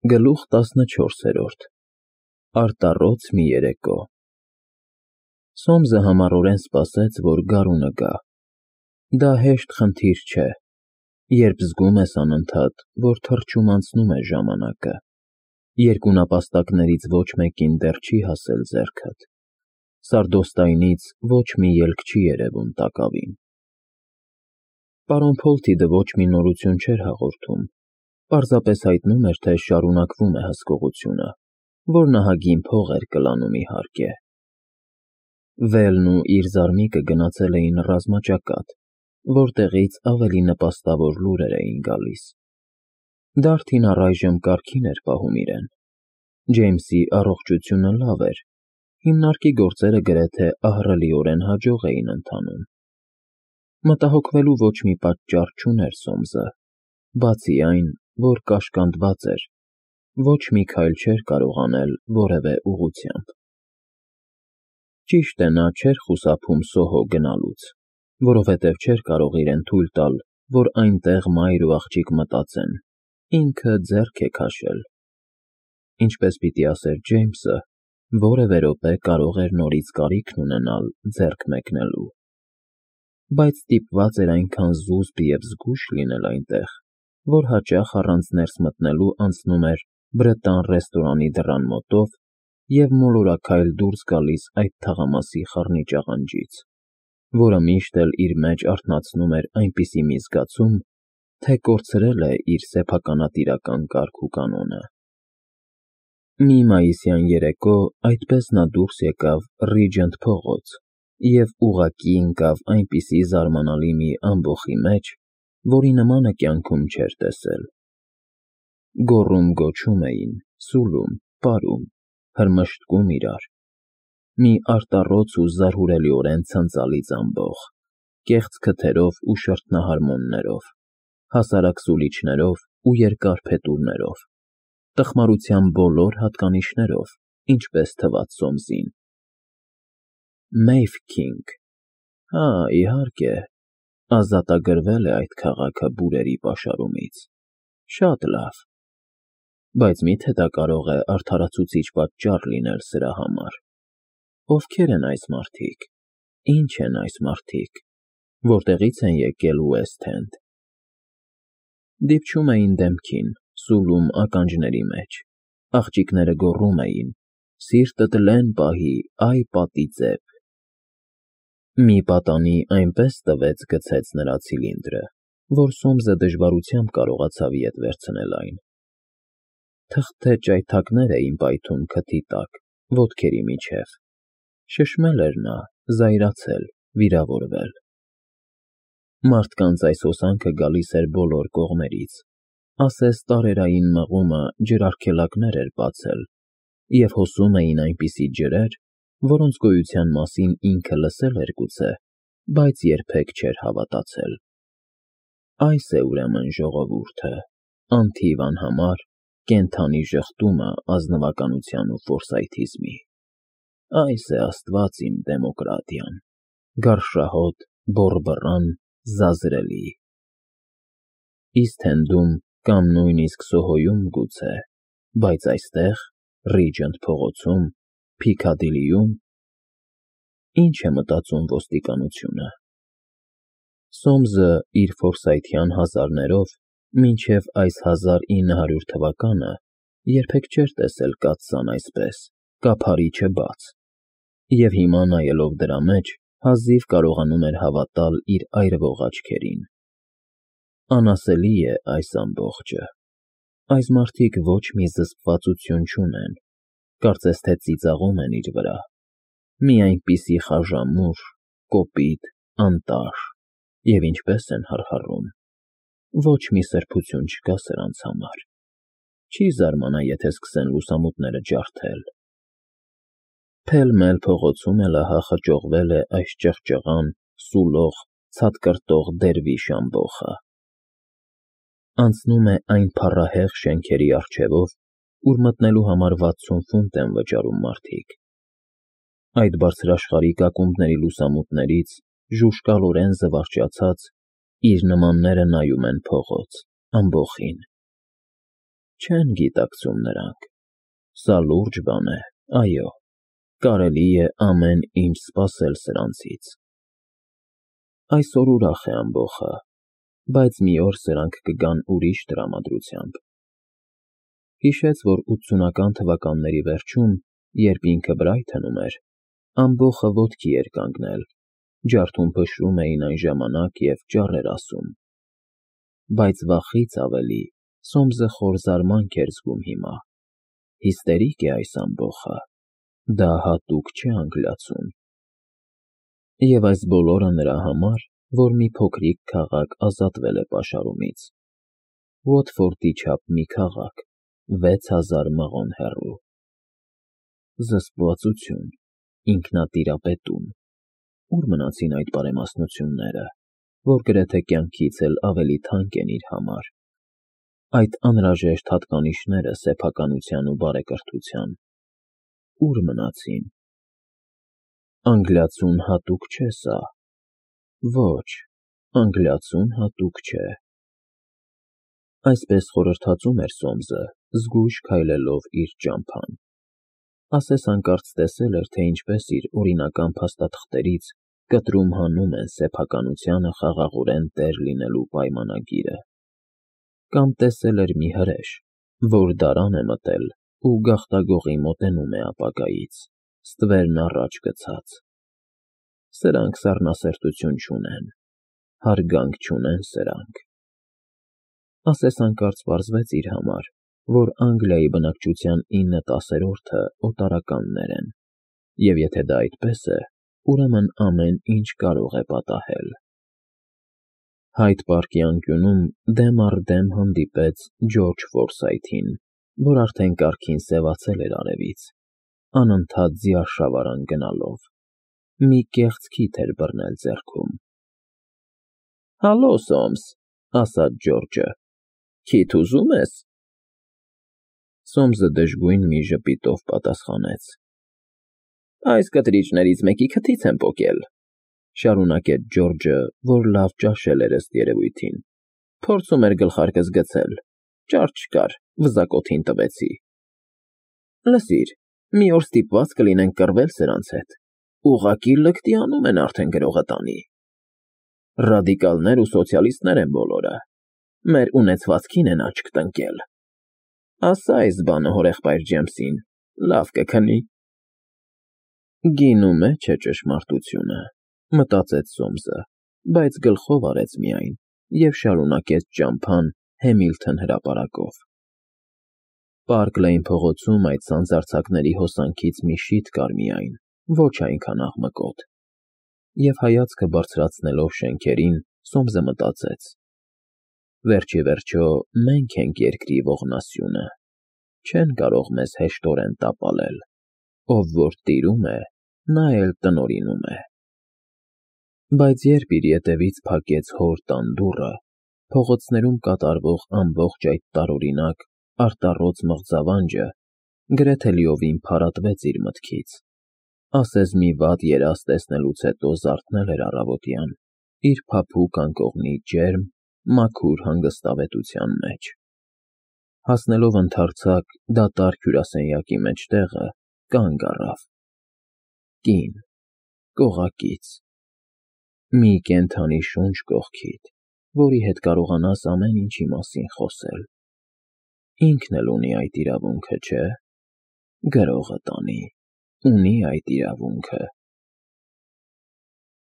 Գլուխ 14 Արտառոց մի երեկո Սոմսը համառորեն սպասեց, որ գարունը գա։ Դա հեշտ խնդիր չէ, երբ զգում ես անընդհատ, որ թռչում անցնում է ժամանակը, երկու նապաստակներից ոչ մեկին դեռ չի հասել ձեռքդ, սարդոստայնից ոչ մի ելք չի երևում տակավին։ Պարոն Փոլթիդը ոչ մի նորություն չէր հաղորդում, պարզապես հայտնում էր, թե շարունակվում է հսկողությունը, որ նահագին փող էր կլանում իհարկե։ Վելն ու իր զարմիկը գնացել էին ռազմաճակատ, որտեղից ավելի նպաստավոր լուրեր էին գալիս։ Դարդին առայժմ կարգին էր պահում իրեն։ Ջեյմսի առողջությունը լավ էր, հիմնարկի գործերը գրեթե ահռելիորեն հաջող էին ընթանում։ Մտահոգվելու ոչ մի պատճառ չուներ Սոմսը, բացի այն, որ կաշկանդված էր, ոչ մի քայլ չէր կարող անել որևէ ուղղությամբ։ Ճիշտ է, նա չէր խուսափում Սոհո գնալուց, որովհետև չէր կարող իրեն թույլ տալ, որ այնտեղ մայր ու աղջիկ մտածեն, ինքը ձեռք է քաշել։ Ինչպես պիտի ասեր Ջեյմսը, որևէ րոպե կարող էր նորից կարիքն ունենալ ձեռք մեկնելու։ Բայց ստիպված էր այնքան զուսպ և զգույշ լինել այնտեղ, որ հաճախ առանց ներս մտնելու անցնում էր բրետան ռեստորանի դռան մոտով և մոլորակայլ դուրս գալիս այդ թաղամասի խառնիճ աղանջից, որը միշտ էլ իր մեջ արթնացնում էր այնպիսի մի զգացում, թե կորցրել է իր սեփականատիրական կարգ ու կանոնը։ Մի մայիսյան երեկո այդպես նա դուրս եկավ Ռիջենտ փողոց և ուղղակի ընկավ այնպիսի զարմանալի մի ամբոխի մեջ, որի նմանը կյանքում չէր տեսել։ Գոռում֊գոչում էին, սուլում, պարում, հրմշտկում իրար։ Մի արտառոց ու զարհուրելիորեն ցնծալից ամբոխ, կեղծ քթերով ու շրթնահարմոններով, հասարակ սուլիչներով ու երկար փետուրներով, տխմարության բոլոր հատկանիշներով, ինչպես թվաց Սոմսին։ Մեյֆքինգ, հա, իհարկե, ազատագրվել է այդ քաղաքը բուրերի պաշարումից, շատ լավ, բայց մի՞թե դա կարող է արդարացուցիչ պատճառ լինել սրա համար։ Ովքեր են այս մարդիկ, ինչ են այս մարդիկ, որտեղից են եկել Ուեսթ Էնդ։ Դիպչում էին դեմքին, սուլում ականջների մեջ, աղջիկները գոռում էին. «Սիրտդ լեն պահի, այ պատիծեպ»։ Մի պատանի այնպես տվեց գցեց նրա ցիլինդրը, որ Սոմսը դժվարությամբ կարողացավ ետ վերցնել այն։ Թղթե ճայթակներ էին պայթում քթի տակ, ոտքերի միջև։ Շշմել էր նա, զայրացել, վիրավորվել։ Մարդկանց այս հոսանքը գալիս էր բոլոր կողմերից, ասես տարերային մղումը ջրարգելակներ էր բացել, և հոսում էին այնպիսի ջրեր, որոնց գոյության մասին ինքը լսել էր գուցե, բայց երբեք չէր հավատացել։ Այս է ուրեմն ժողովուրդը, անթիվ անհամար, կենդանի ժխտումը ազնվականության ու ֆորսայթիզմի։ Այս է Աստված իմ դեմոկրատիան, գարշահոտ, բոռբռան, զազրելի։ Իսթ Էնդում կամ նույնիսկ Սոհոյում գուցե, բայց այստեղ, Ռիջենտ փողոցում, Փիքադիլիում… Ինչ է մտածում ոստիկանությունը։ Սոմսը իր ֆորսայթյան հազարներով մինչև այս 1900 թվականը երբեք չէր տեսել կաթսան այսպես, կափարիչը բաց, և հիմա նայելով դրա մեջ հազիվ կարողանում էր հավատալ իր այրվող աչքերին։ Անասելի է այս ամբողջը։ Այս մարդիկ ոչ մի զսպվածություն չունեն, կարծես թե ծիծաղում են իր վրա։ Մի այնպիսի խաժամուռ, կոպիտ, անտաշ, և ինչպես են հռհռում։ Ոչ մի սրբություն չկա սրանց համար։ Չի զարմանա, եթե սկսեն լուսամուտները ջարդել։ Փել֊մել փողոցում էլ ահա խճողվել է այս ճղճղան, սուլող, ցատկրտող դերվիշ ամբոխը։ Անցնում է այն փառահեղ շենքերի առջևով, ուր մտնելու համար 60 ֆունտ են վճարում մարդիկ։ Այդ բարձրաշխարհիկ ակումբների լուսամուտներից, ժուժկալորեն զվարճացած, իր նմանները նայում են փողոց, ամբոխին։ Չեն գիտակցում նրանք։ Սա լուրջ բան է, այո, կարելի է ամեն ինչ սպասել սրանցից։ Այսօր ուրախ է ամբոխը, բայց մի օր սրանք կգան ուրիշ տրամադրությամբ։ Հիշեց, որ 80-ական թվականների վերջում, երբ ինքը Բրայթոնում էր, ամբոխը ոտքի էր կանգնել, ջարդում փշրում էին այն ժամանակ և ճառ էր ասում։ Բայց վախից ավելի Սոմսը խոր զարմանք էր զգում հիմա։ Հիստերիկ է այս ամբոխը, դա հատուկ չէ անգլիացուն։ Եվ այս բոլորը նրա համար, որ մի փոքրիկ քաղաք ազատվել է պաշարումից։ Ոթֆորդի չափ մի քաղաք, 6000 մղոն հեռու։ Զսպվածություն, ինքնատիրապետում։ Ուր մնացին այդ բարեմասնությունները, որ գրեթե կյանքից էլ ավելի թանկ են իր համար։ Այդ անհրաժեշտ հատկանիշները սեփականության ու բարեկրթության։ Ուր մնացին։ Անգլիացուն հատուկ չէ սա։ Ոչ, անգլիացուն հատուկ չէ։ Այսպես խորհրդածում էր Սոմսը, զգույշ քայլելով իր ճամփան։ Ասես հանկարծ տեսել էր, թե ինչպես իր օրինական փաստաթղթերից կտրում հանում են սեփականությանը խաղաղորեն տեր լինելու պայմանագիրը։ Կամ տեսել էր մի հրեշ, որ դարան է մտել ու գաղտագողի մոտենում է ապագայից, ստվերն առաջ գցած։ Սրանք սառնասրտություն չունեն, հարգանք չունեն սրանք։ Ասես հանկարծ պարզվեց իր համար, որ Անգլիայի բնակչության 9/10-ը օտարականներ են, և եթե դա այդպես է, ուրեմն ամեն ինչ կարող է պատահել։ Հայդ պարկի անկյունում դեմ առ դեմ հանդիպեց Ջորջ Ֆորսայթին, որ արդեն կարգին սևացել էր արևից, անընդհատ ձիարշավարան գնալով։ Մի կեղծ քիթ էր բռնել ձեռքում։ «Հալո, Սոմս», ասաց Ջորջը, «քիթ ուզում ես»։ Սոմսը դժգույն մի ժպիտով պատասխանեց. «Այս կտրիճներից մեկի քթից եմ պոկել», շարունակեց Ջորջը, որ լավ ճաշել էր ըստ երևույթին։ «Փորձում էր գլխարկս գցել, ճար չկար, վզակոթին տվեցի։ Լսիր, մի օր ստիպված կլինենք կռվել սրանց հետ, ուղղակի լկտի անում են արդեն գրողը տանի։ Ռադիկալներ ու սոցիալիստներ են բոլորը, մեր ունեցվածքին են աչք տնկել։ Ասա այս բանը հորեղբայր Ջեյմսին, լավ կքնի»։ Գինու մեջ է ճշմարտությունը, մտածեց Սոմսը, բայց գլխով արեց միայն և շարունակեց ճամփան Հեմիլթոն հրապարակով։ Պարկ Լեյն փողոցում այդ սանձարձակների հոսանքից մի շիթ կար միայն, ոչ այնքան աղմկոտ։ Եվ հայացքը բարձրացնելով շենքերին, Սոմսը մտածեց. վերջիվերջո մենք ենք երկրի ողնասյունը, չեն կարող մեզ հեշտորեն տապալել, ով որ տիրում է, նա էլ տնօրինում է։ Բայց երբ իր ետևից փակեց հոր տան դուռը, փողոցներում կատարվող ամբողջ այդ տարօրինակ, արտառոց մղձավանջը գրեթե լիովին փարատվեց իր մտքից։ Ասես մի վատ երազ տեսնելուց հետո զարթնել էր առավոտյան, իր փափուկ անկողնի ջերմ, մաքուր հանգստավետության մեջ։ Հասնելով ընդարձակ, դատարկ հյուրասենյակի մեջտեղը, կանգ առավ։ Կին, կողակից։ Մի կենդանի շունչ կողքիդ, որի հետ կարողանաս ամեն ինչի մասին խոսել։ Ինքն էլ ունի այդ իրավունքը, չէ՞։ Գրողը տանի, ունի այդ իրավունքը։